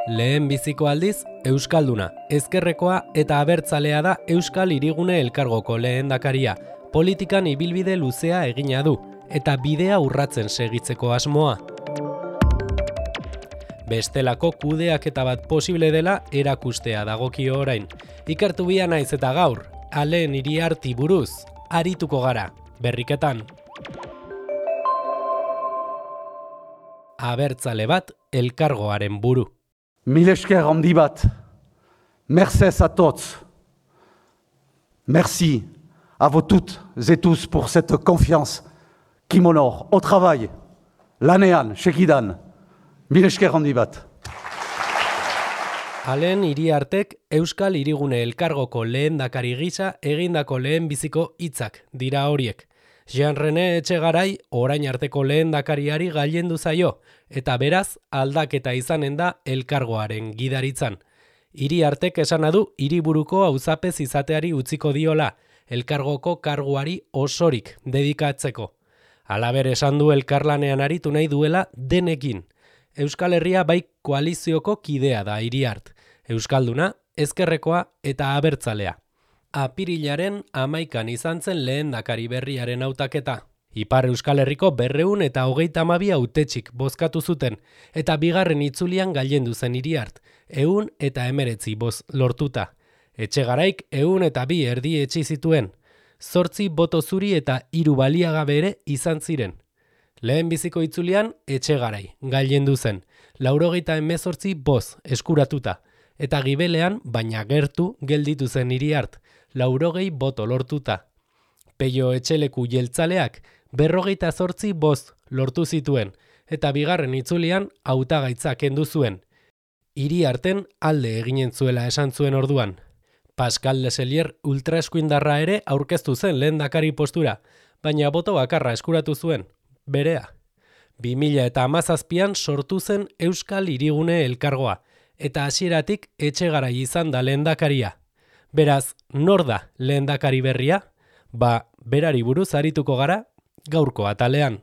Lehen biziko aldiz, Euskalduna, ezkerrekoa eta abertzalea da Euskal Hirigune Elkargoko lehendakaria. Politikan ibilbide luzea egina du, eta bidea urratzen segitzeko asmoa. Bestelako kudeaketa bat posible dela erakustea dagokio orain. Ikertu bia naiz eta gaur, Alen Iriarti buruz, arituko gara, berriketan. Abertzale bat elkargoaren buru. Mil esker handi bat, mercez à tots. Merci à vous toutes et tous pour cette confiance qui m'honore au travail, lanean, segidan. Mil esker handi bat. Alen Iriartek Euskal Hirigune Elkargoko lehendakari gisa egindako lehenbiziko hitzak dira horiek. Jean René Etxegarai orain arteko lehendakariari gailendu zaio, eta beraz aldaketa izanen da elkargoaren gidaritzan. Iriartek esana du hiriburuko auzapez izateari utziko diola, elkargoko karguari osorik dedikatzeko. Halaber esan du elkarlanean aritu nahi duela denekin. Euskal Herria bai koalizioko kidea da Iriart, Euskalduna, ezkerrekoa eta abertzalea. Apirilaren 11an izan zen lehendakari berriaren hautaketa. Ipar Euskal Herriko 232 hautetxik bozkatu zuten, eta bigarren itzulian gailendu zen Iriart, 119 boz lortuta. Etxegaraik 102 erdietsi zituen, 8 boto zuri eta 3 baliagabe ere izan ziren. Lehenbiziko itzulian Etxegarai gailendu zen, 98 boz eskuratuta, eta gibelean baina gertu gelditu zen Iriart, 80 boto lortuta. Peio Etxeleku jeltzaleak 58 boz lortu zituen, eta bigarren itzulian hautagaitza kendu zuen. Iriarten alde eginen zuela esan zuen orduan. Pascal Leselier ultraeskuindarra ere aurkeztu zen lehendakari postura, baina boto bakarra eskuratu zuen, berea. 2017an sortu zen Euskal Hirigune Elkargoa, eta hasieratik Etxegarai izan da lehendakaria. Beraz, nor da lehendakari berria? Berari buruz arituko gara gaurko atalean.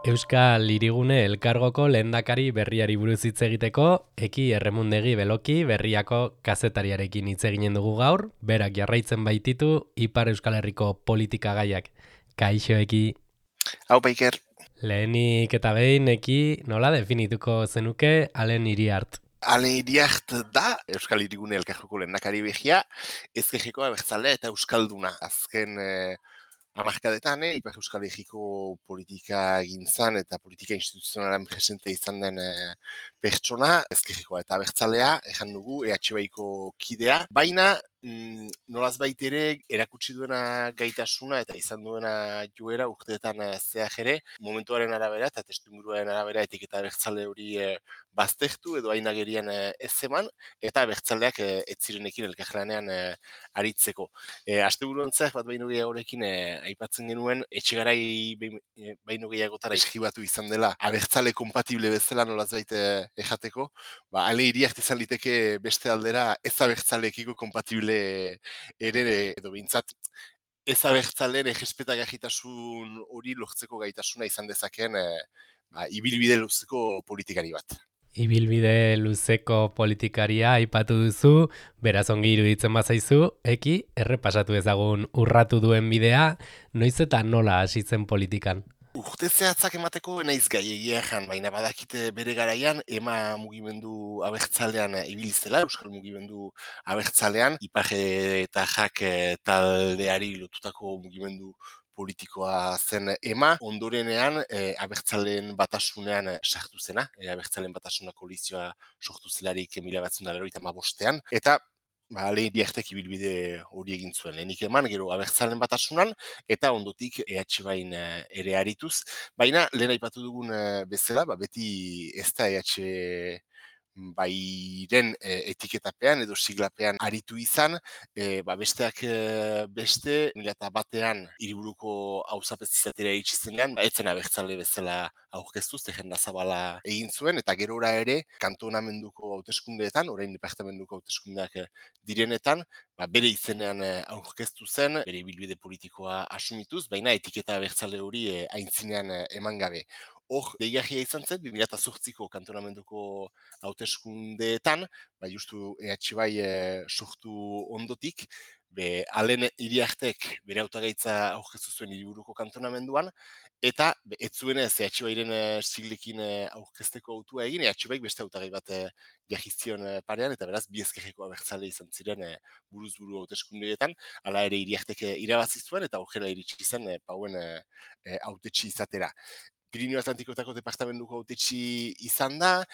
Euskal Hirigune Elkargoko lehendakari berriari buruz hitz egiteko, Eki Erremundegi Beloki berriako kazetariarekin hitz eginen dugu gaur, berak jarraitzen baititu Ipar Euskal Herriko politika gaiak. Kaixo, Eki. Hau, Iker. Lehenik eta behin, Eki, nola definituko zenuke Alen Iriart? Alen Iriart da Euskal Hirigune Elkargoko lehendakari behia, ezkerrekoa abertzalea eta Euskalduna. Azken hamarkadetan, Ipar Euskal Herriko politika gintzan eta politika instituzionalen presente izan den pertsona, ezkerrekoa eta abertzalea, ejan dugu, EHBaiko kidea, baina nolaz baitere erakutsi duena gaitasuna eta izan duena joera urteetan zehar ere, momentuaren arabera eta testuinguruaren arabera etiketa abertzale hori baztertu edo hain agerian ez eman, eta abertzaleak ez zirenekin elkarlanean aritzeko. Asteburuantzak bat baino gehiagorekin aipatzen genuen, Etxegarai baino gehiagotara eskibatu izan dela abertzale kompatible bezala nolaz baite ejateko, Alen Iriart izan liteke beste aldera ez abertzalekiko kompatible ere edo bintzat ez abertzaleen errespetagahitasun hori lortzeko gaitasuna izan dezakeen ibilbide luzeko politikari bat. Ibilbide luzeko politikaria aipatu duzu, beraz ongi iruditzen bazaizu, Eki, errepasatu ezagun urratu duen bidea, noiz eta nola hasi zen politikan? Urte zehatzak emateko naiz gai egia jan, baina badakite bere garaian ema mugimendu abertzalean ibilizela, Euskal mugimendu abertzalean, Ipar eta Jak taldeari lotutako mugimendu politikoa zen ema, ondorenean abertzaleen batasunean sartu zena, abertzaleen batasuna koalizioa sortu zelarik 1995ean, eta Alen Iriartek ibilbide hori egin zuen. Lehenik eman, gero abertzalen batasunan, eta ondotik EH-bain ere arituz. Baina, lehen aipatu dugun bezala, beti ez da EH bairen etiketapean edo siglapean aritu izan, besteak beste, 2001 hiriburuko auzapez izatera iritsi zenean, etzen abertzale bezala aurkeztu, jenda zabala egin zuen, eta gerora ere, kantonamenduko hauteskundeetan, orain departamentuko hauteskundeak direnetan, bere izenean aurkeztu zen, bere ibilbide politikoa asumituz, baina etiketa abertzale hori aintzinean eman gabe. Hor, deigarria izan zen, 2008ko kantonamenduko hauteskundeetan, justu EH sortu ondotik, Alen Iriartek bere hautagaitza aurkeztu zuen hiriburuko kantonamenduan, eta ez zuen ez EH siglekin aurkezteko autua egin, EH beste hautagai bat jarri zion parean, eta beraz, bi ezkerreko abertzale izan ziren buruz-buru hauteskundeetan, hala ere Iriartek irabazi zuen, eta aurrera iritsi zen pauen hautetsi izatera. Pirineo Atlantikoetako departamentuko hautetsi izan da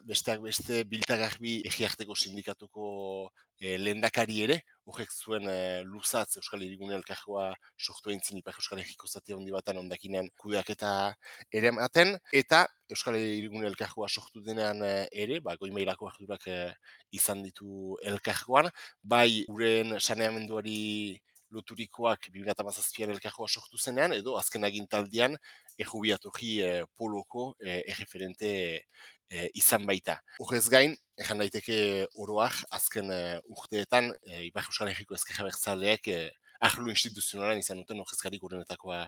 besteak beste Biltagarbi Egiarteko sindikatuko lehendakari ere, horrek zuen luzatz Euskal Hirigune Elkargoa sortu eintzin Ipar Euskal Herriko zati handi batan ondakinean kudeaketa ere ematen, eta Euskal Hirigune Elkargoa sortu denean ere, goi mailako ardurak izan ditu elkargoan, bai uren saneamenduari loturikoak 2017an elkargoa sortu zenean, edo azken agintaldian errubiatoki poloko erreferente izan baita. Horrez gain, ejan daiteke oroak azken urteetan Ipar Euskal Herriko Ezkerra Abertzaleek arlo instituzionalan izan duten horrezkarik urenetakoa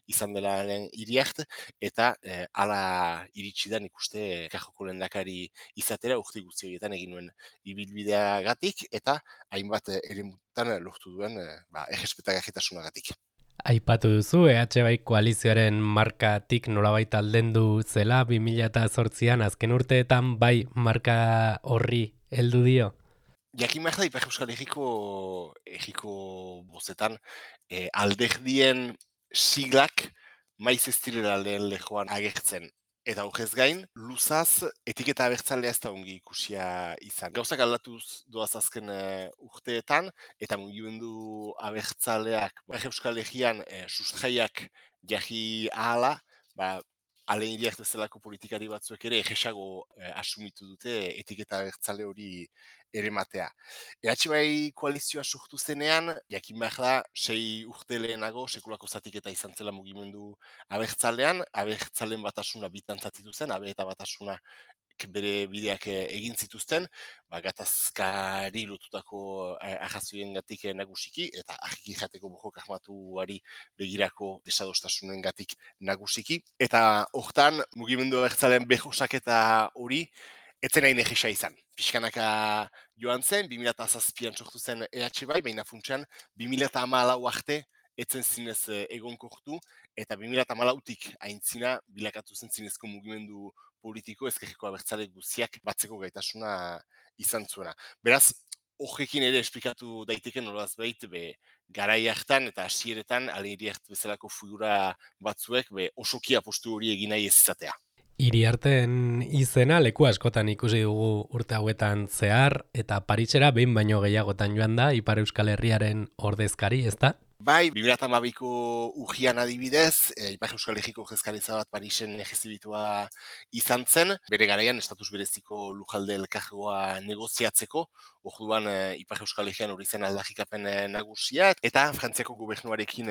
izan delaren Iriart, eta hala iritsi da nik uste Kajoko lehendakari izatera urte guzti horietan egin nuen ibilbideagatik, eta hainbat eremutan lortu duen errespetagarritasunagatik. Aipatu duzu, EH koalizioaren markatik nolabait aldendu zela 2008an azken urteetan bai marka horri heldu dio? Jakin behar da, Ipar Euskal Herriko bozetan alderdien siglak maiz ez direla lehen lehoan agertzen. Eta horrez gain, luzaz etiketa abertzalea ez da ongi ikusia izan. Gauzak aldatuz doaz azken urteetan, eta mugimendu abertzaleak Euskal Herrian sustraiak jarri ahala, Alen Iriart bezalako politikari batzuek ere egesago asumitu dute etiketa abertzale hori ere matea. Koalizioa sortu zenean, jakin behar da, 6 urte lehenago sekulako zatiketa izan zela mugimendu abertzalean, abertzalen batasuna bitantzatitu zen, eta batasuna bere bideak egin zituzten, gatazkari lotutako arrazoien gatik nagusiki, eta argiki jateko bojok ahmatuari begirako desadostasunen gatik nagusiki. Eta hortan, mugimendu abertzalean behosaketa hori, etzen hain egisa izan. Pixkanaka joan zen, 2007an sortu zen EH baina funtsean 2014 arte etzen zinez egonkortu, eta 2014tik aintzina bilakatu zen zinezko mugimendu politiko ezkerreko abertzale guziak batzeko gaitasuna izan zuena. Beraz, horrekin ere esplikatu daiteke nolaz behit, garai hartan eta hasieretan Alen Iriart bezalako figura batzuek osoki apostu hori egin nahi ez izatea. Iriarten izena leku askotan ikusi dugu urte hauetan zehar, eta Parisera behin baino gehiagotan joan da Ipar Euskal Herriaren ordezkari, ezta? Bai, 2012ko urrian adibidez, Ipar Euskal Herriko ordezkaritza bat Parisen ejezibitua izan zen, bere garaian estatus bereziko lujalde elkargoa negoziatzeko, orduan Ipar Euskal Herrian hori zen aldarrikapen nagusia, eta Frantziako gobernuarekin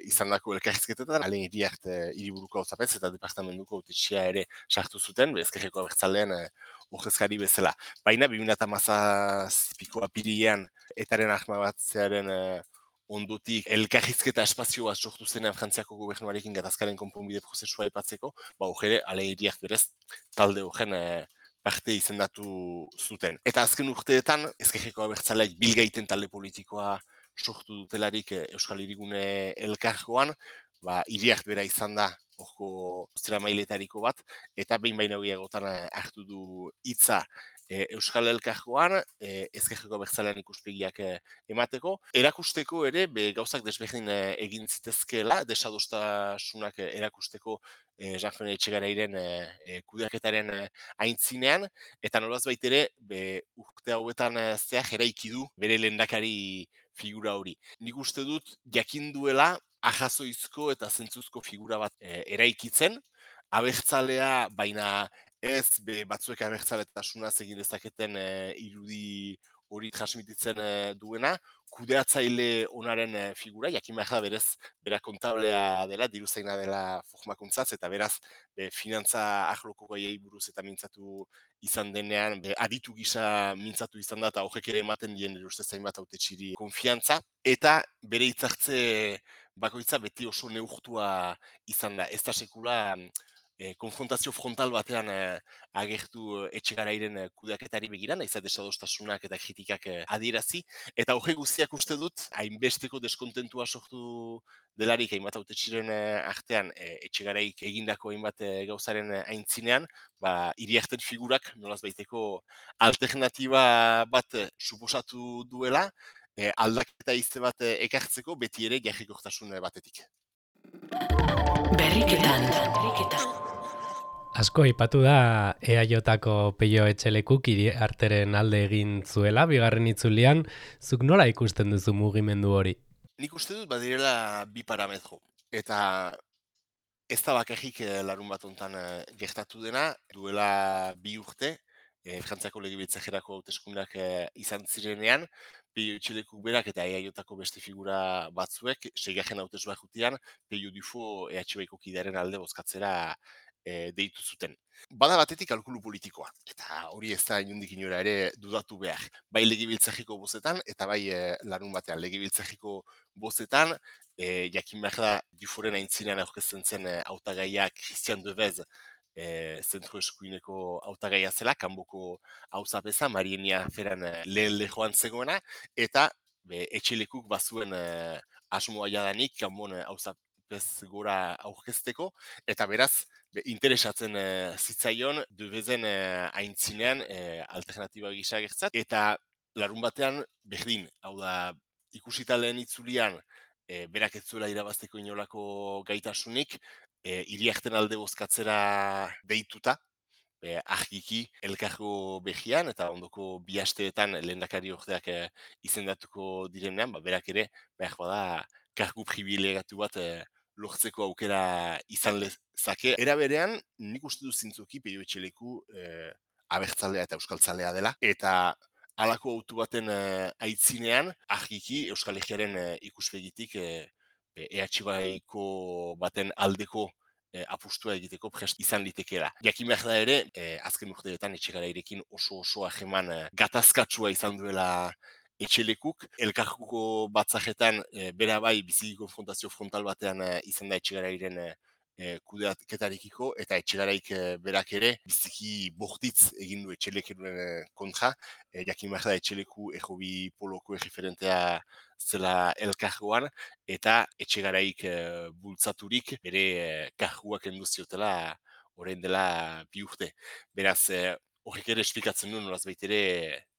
izandako elkarrizketetan, Alen Iriart hiriburuko hauzapez eta departamentuko hautetsia ere sartu zuten, ezkerreko abertzalean ordezkari bezala. Baina 2017ko apirilean etaren ahmabatzearen ondotik elkarrizketa espazioa sortu zenean Frantziako gobernuarekin gatazkaren konponbide prozesua aipatzeko, horre Alen Iriart berez talde horren parte izendatu zuten. Eta azken urteetan, ezkerreko abertzaleak bilgaiten talde politikoa sortu dutelarik Euskal Hirigune Elkargoan, Iriart bera izan da horko zera mailetariko bat, eta behin baino gehiagotan hartu du hitza Euskal Elkargoan, ezkerreko abertzalean ikuspegiak emateko. Erakusteko ere, gauzak desberdin egin zitezkeela, desadostasunak erakusteko Jean-Fene Etxegarairen kudeaketaren aintzinean, eta nolaz baitere, urte hauetan zehar eraiki du bere lehendakari figura hori. Nik uste dut, jakin duela, ahazoizko eta zentzuzko figura bat eraikitzen, abertzalea, baina ez batzuek abertzaletasunaz egin dezaketen irudi hori transmititzen duena, kudeatzaile onaren figura, jakin behar da berez, bera kontablea dela, diruzaina dela formakuntzaz, eta beraz, finantza ahloko gaiei buruz eta mintzatu izan denean, aditu gisa mintzatu izan da, eta horrek ere ematen dien ustez zainbat hautetxiri konfiantza, eta bere hitzartze bakoitza beti oso neurtua izan da. Ez da sekula konfrontazio frontal batean agertu Etxegarairen kudeaketari begira, nahiz desadostasunak eta kritikak adierazi, eta horre guztiak uste dut, hainbesteko deskontentua sortu delarik hainbat hautetxiren artean Etxegaraik egindako hainbat gauzaren aintzinean, iriarten figurak nolaz baiteko alternatiba bat suposatu duela, aldaketa izte bat ekartzeko beti ere jarrikortasun batetik. Berriketan. Asko aipatu da EAJ-ko Peio Etxelekuk Iriarteren alde egin zuela, bigarren itzulian, zuk nola ikusten duzu mugimendu hori? Nik uste dut badirela bi parametro. Eta ez da bakarrik larun bat hontan gertatu dena, duela 2 urte, Frantziako legebiltzarrerako hauteskundeak izan zirenean, Peio Etxelekuk berak eta EAJ-ko beste figura batzuek, seigarren hautesua jutian, Peio Dufo EHBko kidearen alde bozkatzera deitu zuten. Bada batetik kalkulu politikoa, eta hori ez da inondik inora ere dudatu behar. Bai legebiltzarriko bozetan, eta bai larun batean legebiltzarriko bozetan, jakin behar da Duforen aintzinean aurkezten zen hautagaiak Christian Devez, zentro eskuineko hautagaia zela, kanboko hauzapeza, Marienia Feran lehen lehoan zegoena, eta Etxelekuk bazuen asmoa jadanik, kanbon hauzapez gora aurkezteko, eta beraz, interesatzen zitzaion Devezen aintzinean alternatiba gisa gertzat, eta larun batean berdin, hau da ikusita lehen itzulian, berak ez zuela irabazteko inolako gaitasunik, Iriarten alde bozkatzera deituta, argiki elkargo behian, eta ondoko 2 asteetan lehendakari ordeak izendatuko direnean, berak ere, behar bada, kargu privilegatu bat lortzeko aukera izan lezake. Era berean, nik uste dut zintzuki Peio Etxeleku abertzalea eta euskaltzalea dela, eta halako autu baten aitzinean, argiki Euskal Herriaren ikuspegitik EHBko baten aldeko apustua egiteko prest izan litekeela. Jakin behar da ere, azken urteetan Etxegarairekin oso hajeman gatazkatsua izan duela Etxelekuk, elkarguko batzajetan bera bai biziki konfrontazio frontal batean izan da Etxegarairen kudeaketarekiko, eta Etxegaraik berak ere biziki bortitz egin du Etxeleken kontra, jakin behar da Etxeleku errobi poloko erreferentea zela elkargoan, eta Etxegaraik bultzaturik bere karguak enduziotela orain dela 2 urte. Beraz, horrek ere esplikatzen du nolaz baitere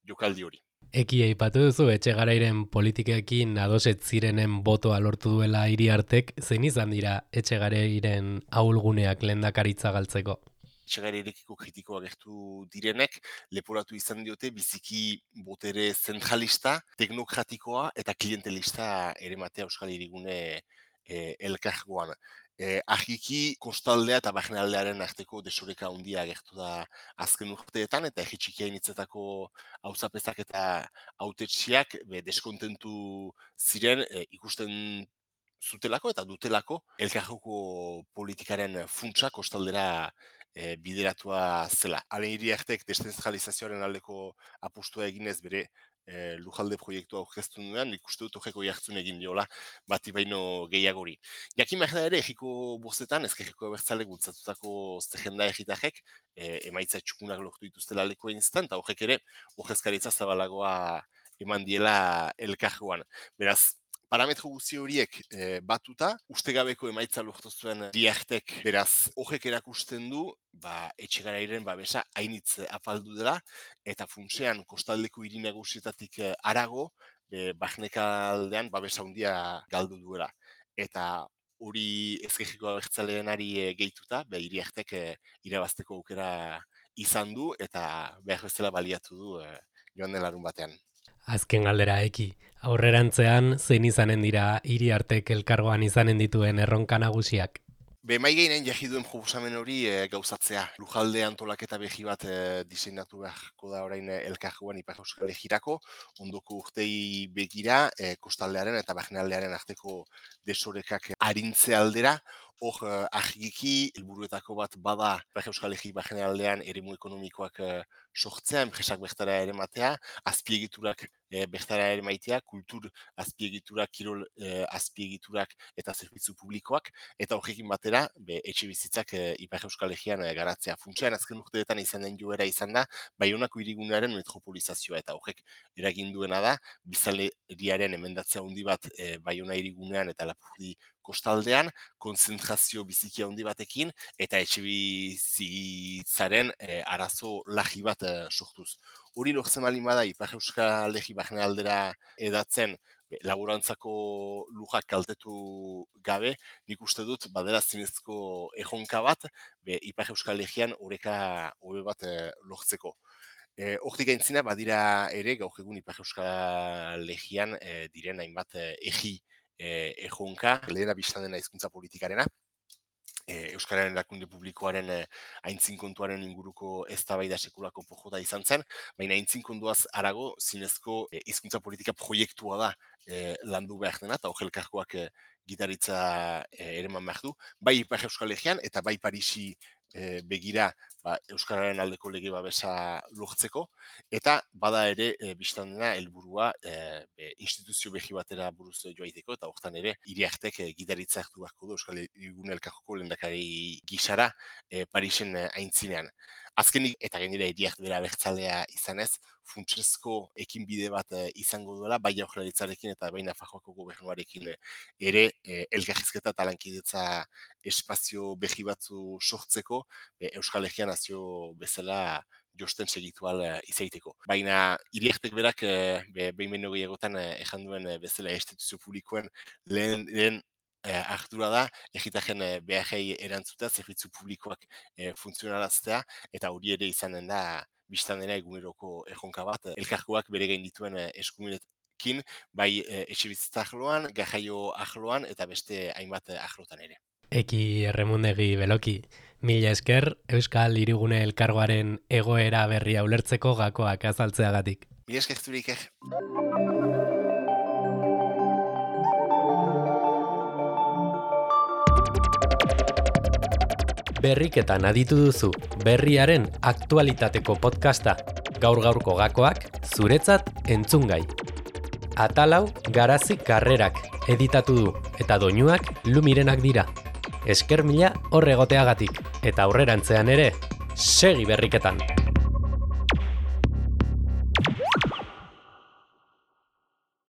jokaldi hori. Eki aipatu duzu Etxegarairen politikekin adoset zirenen botoa lortu duela Iriartek, zein izan dira Etxegarairen ahulguneak lehendakaritza galtzeko? Etxegarairekiko kritikoa gertu direnek, leporatu izan diote biziki botere zentralista, teknokratikoa eta klientelista ere matea Euskal Hirigune elkargoan. Argiki kostaldea eta barnealdearen arteko desoreka handia agertu da azken urteetan, eta txikiain hitzetako hauzapezak eta hautetsiak deskontentu ziren ikusten zutelako eta dutelako elkargoko politikaren funtsa kostaldera bideratua zela. Haren Iriartek deszentralizazioaren aldeko apustua eginez bere lujalde proiektua aurkeztu nuen, nik uste dut horreko jartzun egin diola bati baino gehiagori. Jakin behar da ere, egiko bostetan, ezkerreko abertzalek bultzatutako zerrenda egitarrek, emaitza txukunak lortu dituztela leko instant, eta horrek ere, horrezkaritza zabalagoa eman diela elkargoan. Beraz, parametro guzti horiek batuta, ustegabeko emaitza lortu zuen Iriartek, beraz, horrek erakusten du, Etxegarairen babesa hainitz apaldu dela, eta funtsean kostaldeko hiri nagusietatik harago, barnekaldean babesa handia galdu duela. Eta hori ezkerreko abertzaleenari gehituta, Iriartek irabazteko aukera izan du, eta behar bezala baliatu du joan den larun batean. Azken galdera Eki, aurrerantzean zein izanen dira Iriartek elkargoan izanen dituen erronka nagusiak? Mai gehinen jarri duen proposamen hori gauzatzea. Lujalde antolaketa behi bat diseinatu beharko da orain elkargoan Ipar Euskal Herrirako, ondoko urtei begira kostaldearen eta barnealdearen arteko desorekak arintze aldera. Hor, argiki, helburuetako bat bada Ipar Euskal Herri barnealdean eremu ekonomikoak sortzea, enpresak bertara ere matea, azpiegiturak bertara ere maitea, kultur azpiegiturak, kirol azpiegiturak eta zerbitzu publikoak, eta horrekin batera, etxe bizitzak Ipar Euskal Herrian garatzea. Funtsean azken urteetan izan den joera izan da, Baionako hirigunearen metropolizazioa, eta horrek eragin duena da, biztanleriaren emendatzea handi bat Baiona hirigunean eta Lapurdi kostaldean, konzentrazio biziki handi batekin, eta etxe bizitzaren arazo larri bat sortuz. Hori lortzen baldin bada Ipar Euskal Herri barnealdera edatzen laborantzako lujak kaltetu gabe, nik uste dut badela zinezko erronka bat Ipar Euskal Herrian oreka hobe bat lortzeko. Hortik aintzina badira ere gaur egun Ipar Euskal Herrian diren hainbat erri erronka, lehena biztan dena hizkuntza politikarena, Euskararen erakunde publikoaren aintzin kontuaren inguruko eztabaida sekulako pojota izan zen, baina aintzin kontuaz harago zinezko hizkuntza politika proiektua da landu behar dena, eta hor elkargoak gitaritza ereman behar du, bai Ipar Euskal Herrian eta bai Parisi begira Euskararen aldeko lege babesa lortzeko, eta bada ere biztan dena helburua instituzio behi batera buruz joaiteko, eta hortan ere hiriartek gitaritza hartu beharko du Euskal Herrigune elkargoko lehendakari gisara Parisen aintzinean. Azkenik, eta gainera hiriart bera abertzalea izanez, funtsezko ekinbide bat izango duela, bai Jaurlaritzarekin eta bai Nafarroako gobernuarekin ere elkarrizketa eta lankidetza espazio behi batzu sortzeko Euskal Herrian nazio bezala josten segitual izaiteko. Baina hiriartek berak behin gehiagotan ejan duen bezala instituzio publikoen lehen ardura da, egitaren beharrei erantzutea, zerbitzu publikoak funtzionaraztea, eta hori ere izanen da, biztan dena eguneroko erronka bat, elkargoak bere gain dituen eskumenekin, bai etxe bizitza arloan, garraio arloan, eta beste hainbat arlotan ere. Eki Erremundegi Beloki, mila esker Euskal Hirigune elkargoaren egoera berria ulertzeko gakoak azaltzeagatik. Mila esker zurik. Berriketan aditu duzu berriaren aktualitateko podcasta, gaur-gaurko gakoak zuretzat entzungai. Atalau Garazi Karrerak editatu du eta doinuak Lumirenak dira. Esker mila hor egoteagatik eta aurrerantzean ere segi berriketan.